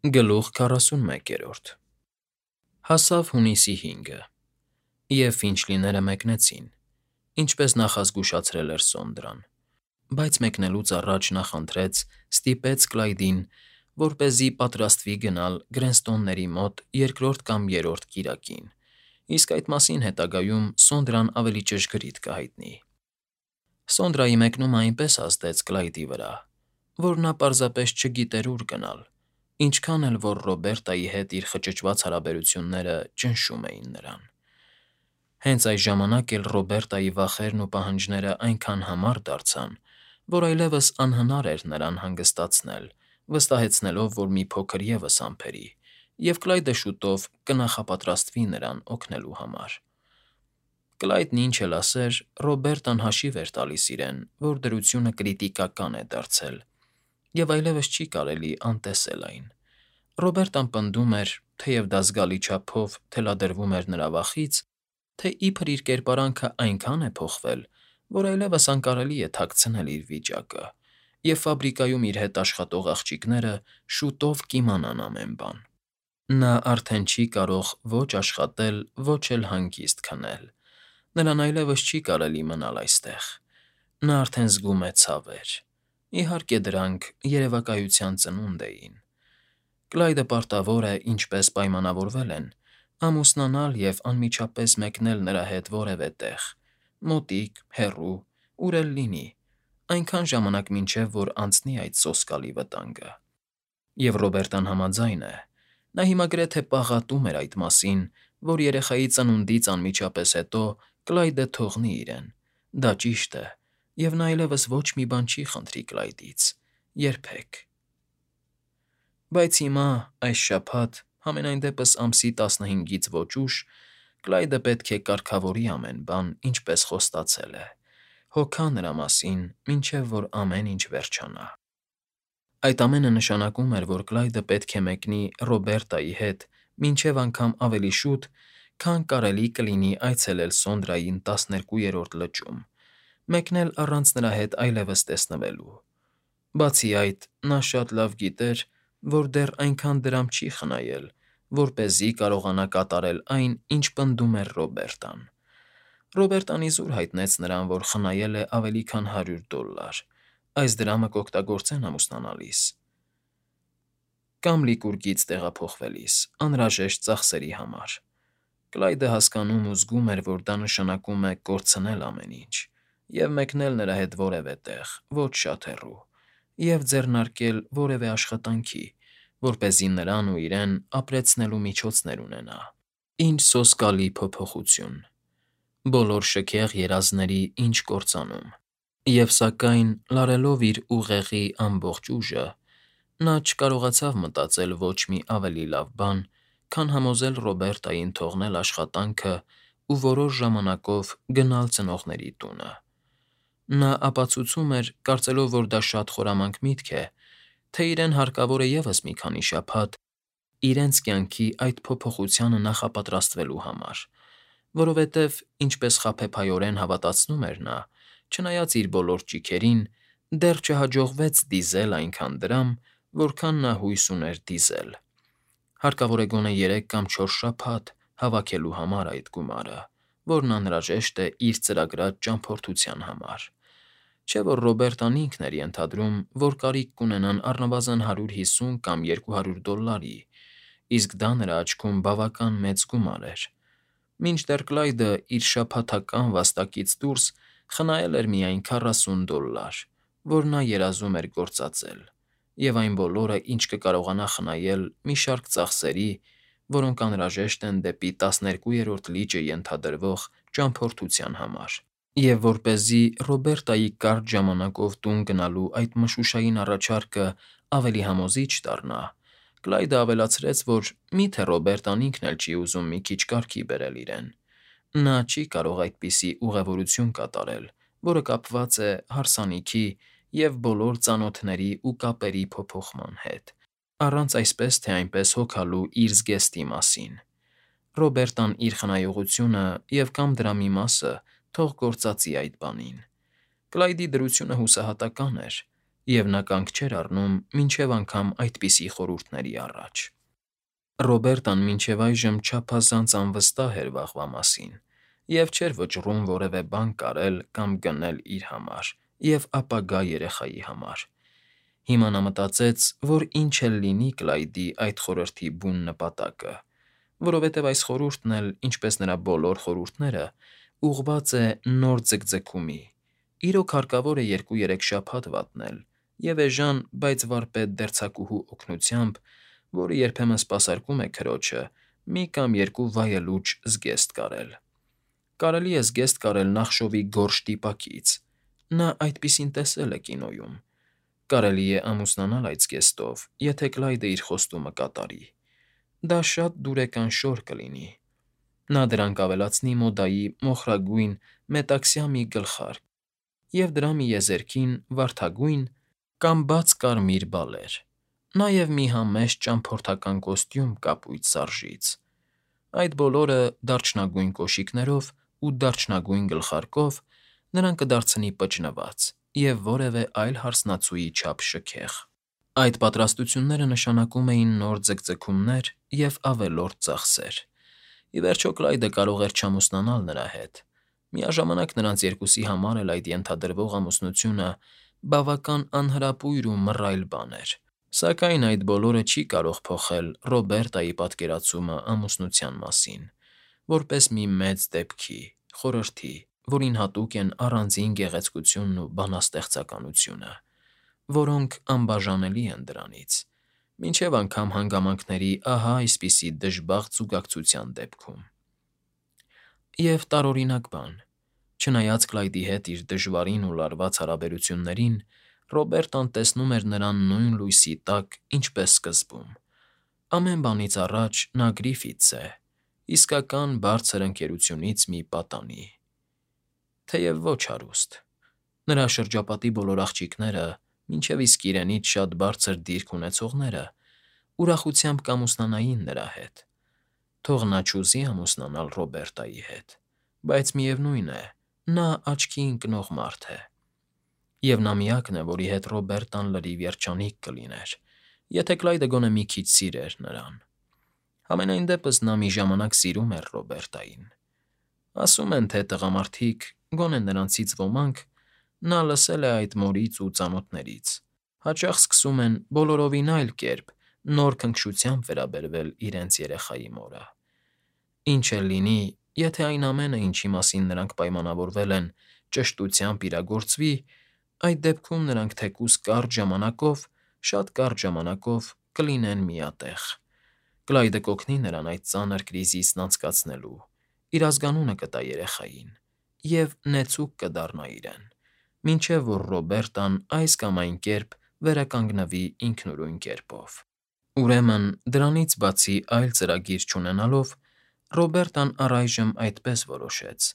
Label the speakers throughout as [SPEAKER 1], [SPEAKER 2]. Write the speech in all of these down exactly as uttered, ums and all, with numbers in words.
[SPEAKER 1] Գլուխ քառասունմեկերորդ Հասավ հունիսի հինգը, և Ֆինչլիները մեկնեցին, ինչպես նախազգուշացրել էր Սոնդրան, բայց մեկնելուց առաջ նախընտրեց, ստիպեց Կլայդին, որպեսզի պատրաստվի գնալ Գրենստոնների մոտ երկրորդ կամ երրորդ կիրակին, իսկ այդ մասին հետագայում Սոնդրան ավելի ճշգրիտ կհայտնի։ Սոնդրայի մեկնումը այնպես ազդեց Կլայդի վրա, որ նա պարզապես չգիտեր ուր գնալ, ինչքան էլ որ Ռոբերտայի հետ իր խճճված հարաբերությունները ճնշում էին նրան։ Հենց այս ժամանակ էլ Ռոբերտայի վախերն ու պահանջներն այնքան համառ դարձան, որ այլևս անհնար էր նրան հանգստացնել, վստահեցնելով, որ մի փոքր ևս ամփերի, և Կլայդը շուտով կնախապատրաստվի նրան օգնելու համար։ Կլայդն ինչ էլ ասեր, Ռոբերտան հաշիվ էր տալիս իրեն, որ դրությունը կրիտիկական է դարձել, և այլևս չի կարելի անտեսել այն։ Ռոբերտան պնդում էր, թեև դա զգալի չափով թելադրվում էր նրա վախից, թե իբր իր կերպարանքն այնքան է փոխվել, որ այլևս անկարելի է թաքցնել իր վիճակը, և ֆաբրիկայում իր հետ աշխատող աղջիկները շուտով կիմանան ամեն բան։ Նա արդեն չի կարող ոչ աշխատել, ոչ էլ հանգիստ քնել, նրան այլևս չի կարելի մնալ այստեղ։ Նա արդեն զգում է ցավեր։ Իհարկե, դրանք երևակայության ծնունդ էին։ Կլայդը պարտավոր է, ինչպես պայմանավորվել են, ամուսնանալ և անմիջապես մեկնել նրա հետ որևէ տեղ՝ մոտիկ, հեռու, ուր էլ լինի, այնքան ժամանակ մինչև որ անցնի այդ սոսկալի վտանգը։ Եվ Ռոբերտան համաձայն է։ Նա հիմա գրեթե պաղատում էր այդ մասին, որ երեխայի ծնունդից անմիջապես հետո Կլայդը թողնի իրեն։ Դա ճիշտ է, և նա այլևս ոչ մի բան չի խնդրի Կլայդից՝ երբեք։ Բայց հիմա, այս շաբաթ, համենայն դեպս ամսի տասնհինգից ոչ ուշ, Կլայդը պետք է կարգավորի ամեն բան, ինչպես խոստացել է, հոգա նրա մասին, մինչև որ ամեն ինչ վերջանա։ Այդ ամենը նշանակում էր, որ Կլայդը պետք է մեկնի Ռոբերտայի հետ մինչև անգամ ավելի շուտ, քան կարելի կլինի այցելել Սոնդրային տասներկուերորդ լճում, մեկնել առանց նրա հետ այլևս տեսնվելու։ Բացի այդ, նա շատ լավ գիտեր, որ դեռ այնքան դրամ չի խնայել, որպեսզի կարողանա կատարել այն, ինչ պնդում էր Ռոբերտան։ Ռոբերտան իզուր հայտնեց նրան, որ խնայել է ավելի քան հարյուր դոլար, այս դրամը կօգտագործեն ամուսնանալիս կամ Լիկուրգից տեղափոխվելիս անհրաժեշտ ծախսերի համար։ Կլայդը հասկանում ու զգում էր, որ դա նշանակում է կորցնել ամեն ինչ և մեկնել նրա հետ որևէ տեղ, ոչ շատ հեռու, և ձեռնարկել որևէ աշխատանքի, որպեսզի նրան ու իրեն ապրեցնելու միջոցներ ունենա։ Ինչ սոսկալի փոփոխություն։ Բոլոր շքեղ երազների ինչ կործանում։ Եվ սակայն, լարելով իր ուղեղի ամբողջ ուժը, նա չկարողացավ մտածել ոչ մի ավելի լավ բան, քան համոզել Ռոբերտային թողնել աշխատանքը ու որոշ ժամանակով գնալ ծնողների տունը։ Նա ապացուցում էր, կարծելով, որ դա շատ խորամանկ միտք է, թե իրեն հարկավոր է ևս մի քանի շաբաթ իրենց կյանքի այդ փոփոխությանը նախապատրաստվելու համար, որովհետև, ինչպես խաբեբայորեն հավատացնում էր նա, չնայած իր բոլոր ճիգերին, դեռ չհաջողվեց դիզել այնքան դրամ, որքան նա հույս ուներ դիզել։ Հարկավոր է գոնե երեք կամ չորս շաբաթ հավաքելու համար այդ գումարը, որն անհրաժեշտ է իր ծրագրած ճամփորդության համար։ Չէ՞ որ Ռոբերտան ինքն էր ենթադրում, որ կարիք կունենան առնվազն հարյուր հիսուն կամ երկու հարյուր դոլլարի, իսկ դա նրա աչքում բավական մեծ գումար էր։ Մինչդեռ Կլայդը իր շաբաթական վաստակից դուրս խնայել էր միայն քառասուն դոլլար, որ նա երազում էր գործածել, և այն բոլորը, ինչ կկարողանա խնայել մի շարք ծախսերի, որոնք անհրաժեշտ են դեպի տասներկուերորդ լիճը ենթադրվող ճամփորդության համար։ Եվ որպեսզի Ռոբերտայի կարճ ժամանակով տուն գնալու այդ մշուշային առաջարկն ավելի համոզիչ դառնա, Կլայդը ավելացրեց, որ մի՞թե Ռոբերտան ինքն էլ չի ուզում մի քիչ կարգի բերել իրեն։ Նա չի կարող այդպիսի ուղևորություն կատարել, որը կապված է հարսանիքի և բոլոր ծանոթների ու կապերի փոփոխման հետ, առանց այսպես թե այնպես հոգալու իր զգեստի մասին։ Ռոբերտան իր խնայողությունը և կամ դրա մի մասը թող գործածի այդ բանին։ Կլայդի դրությունը հուսահատական էր, և նա կանգ չէր առնում մինչև անգամ այդպիսի խորհուրդների առաջ։ Ռոբերտան մինչև այժմ չափազանց անվստահ էր վաղվա մասին և չէր վճռում որևէ բան կարել կամ գնել իր համար և ապագա երեխայի համար։ Հիմա նա մտածեց, որ ինչ էլ լինի Կլայդի այդ խորհրդի բուն նպատակը, որովհետև այս խորհուրդն էլ, ինչպես նրա բոլոր խորհուրդները, ուղղված է նոր ձգձգումի, իրոք հարկավոր է երկու֊երեք շաբաթ վատնել և էժան, բայց վարպետ դերձակուհու օգնությամբ, որը երբեմն սպասարկում է քրոջը, մի կամ երկու վայելուչ զգեստ կարել։ Կարելի է զգեստ կարել նախշովի գորշ տիպակից, նա այդպիսին տեսել է կինոյում։ Կարելի է ամուսնանալ այդ զգեստով, եթե Կլայդը իր խոստումը կատարի։ Դա շատ դուրեկան շոր կլինի։ Նա դրանք կավելացնի մոդայի մոխրագույն մետաքսյա մի գլխարկ և դրա մի եզերքին վարդագույն կամ բաց կարմիր բալեր, նաև մի համեստ ճամփորդական կոստյում կապույտ սարժից։ Այդ բոլորը դարչնագույն կոշիկներով ու դարչնագույն գլխարկով նրան կդարձնի պճնված և որևէ այլ հարսնացուի չափ շքեղ։ Այդ պատրաստությունները նշանակում էին նոր ձգձգումներ և ավելորդ ծախսեր։ Ի վերջո Կլայդը կարող էր չամուսնանալ նրա հետ։ Միաժամանակ նրանց երկուսի համար էլ այդ ենթադրվող ամուսնությունը բավական անհրապույր ու մռայլ բան էր։ Սակայն այդ բոլորը չի կարող փոխել Ռոբերտայի պատկերացումը ամուսնության մասին՝ որպես մի մեծ դեպքի, խորհրդի, որին հատուկ են առանձին գեղեցկությունն ու բանաստեղծականությունը, որոնք անբաժանելի են դրանից, մինչև անգամ հանգամանքների ահա այսպիսի դժբախտ զուգակցության դեպքում։ Եվ տարօրինակ բան, չնայած Կլայդի հետ իր դժվարին ու լարված հարաբերություններին, Ռոբերտան տեսնում էր նրան նույն լույսի տակ, ինչպես սկզբում։ Ամեն բանից առաջ նա Գրիֆիթս է, իսկական բարձր ընկերությունից մի պատանի։ Թեև ոչ հարուստ։ Նրա շրջապատի բոլոր աղջիկները, մինչև իսկ իրենից շատ բարձր դիրք ունեցողները, ուրախությամբ կամուսնանային նրա հետ։ Թող նա չուզի ամուսնանալ Ռոբերտայի հետ, բայց միևնույն է, նա աչքի ընկնող մարդ է։ Եվ նա միակն է, որի հետ Ռոբերտան լրիվ երջանիկ կլիներ, եթե Կլայդը գոնե մի քիչ սիրեր նրան։ Համենայն դեպս նա մի ժամանակ սիրում էր Ռոբերտային։ Ասում են, թե տղամարդիկ, գոնե նրանցից ոմանք, նա լսել է այդ մորից ու ծանոթներից, հաճախ սկսում են բոլորովին այլ կերպ նոր քնքշությամբ վերաբերվել իրենց երեխայի մորը։ Ինչ էլ լինի, եթե այն ամենը, ինչի մասին նրանք պայմանավորվել են, ճշտությամբ իրագործվի, այդ դեպքում նրանք թեկուզ կարճ ժամանակով, շատ կարճ ժամանակով կլինեն միատեղ։ Կլայդը կօգնի նրան այդ ծանր կրիզիսն անցկացնելու, իր ազգանունը կտա երեխային և նեցուկ կդառնա իրեն, մինչև որ Ռոբերտան այս կամ այն կերպ վերականգնվի ինքնուրույն կերպով։ Ուրեմն, դրանից բացի այլ ծրագիր չունենալով, Ռոբերտան առայժմ այդպես որոշեց,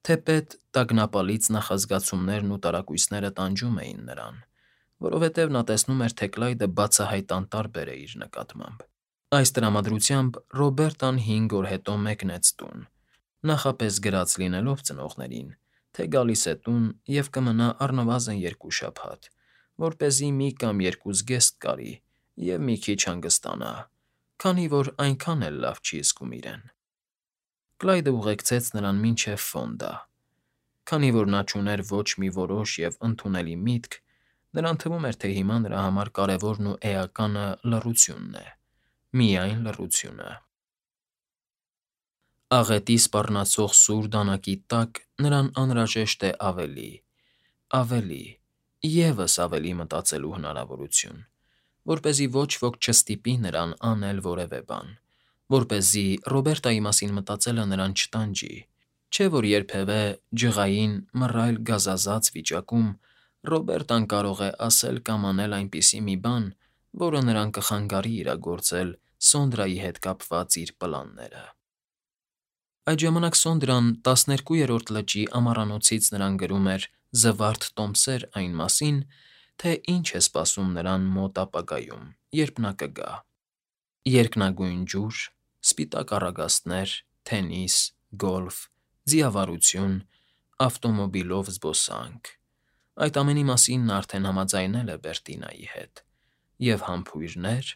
[SPEAKER 1] թեպետ տագնապալից նախազգացումներն ու տարակույսները տանջում էին նրան, որովհետև նա տեսնում էր, թե Կլայդը բացահայտ անտարբեր է իր նկատմամբ։ Այս տրամադրությամբ Ռոբերտան հինգ օր հետո մեկնեց տուն, նախապես գրած լինելով ծնողներին, թե գալիս է տուն և կմնա առնվազն երկու շաբաթ, որպեսզի մի կամ երկու զգեստ կարի և մի քիչ հանգստանա, քանի որ այնքան էլ լավ չի զգում իրեն։ Կլայդը ուղեկցեց նրան մինչև Ֆոնդա։ Քանի որ նա չուներ ոչ մի որոշ և ընդունելի միտք, նրան թվում էր, թե հիմա նրա համար կարևորն ու էականը լռությունն է, միայն լռությունը։ Աղետի սպառնացող սուր դանակի տակ նրան անհրաժեշտ է ավելի, ավելի, ևս ավելի մտածելու հնարավորություն, որպեսզի ոչ ոք չստիպի նրան անել որևէ բան, որպեսզի Ռոբերտայի մասին մտածելը նրան չտանջի, չէ՞ որ երբևէ ջղային, մռայլ գազազած վիճակում Ռոբերտան կարող է ասել կամ անել այնպիսի մի բան, որը նրան կխանգարի իրագործել Սոնդրայի հետ կապված իր պլանները։ Այդ ժամանակ Սոնդրան տասներկուերորդ լճի ամառանոցից նրան գրում էր զվարթ տոմսեր այն մասին, թե ինչ է սպասում նրան մոտ ապագայում, երբ նա կգա. երկնագույն ջուր, սպիտակ առագաստներ, թենիս, գոլֆ, ձիավարություն, ավտոմոբիլով զբոսանք, Այդ ամենի մասին նա արդեն համաձայնել է Բերտինայի հետ, և համբույրներ,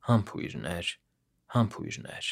[SPEAKER 1] համբույրներ, համբույրներ։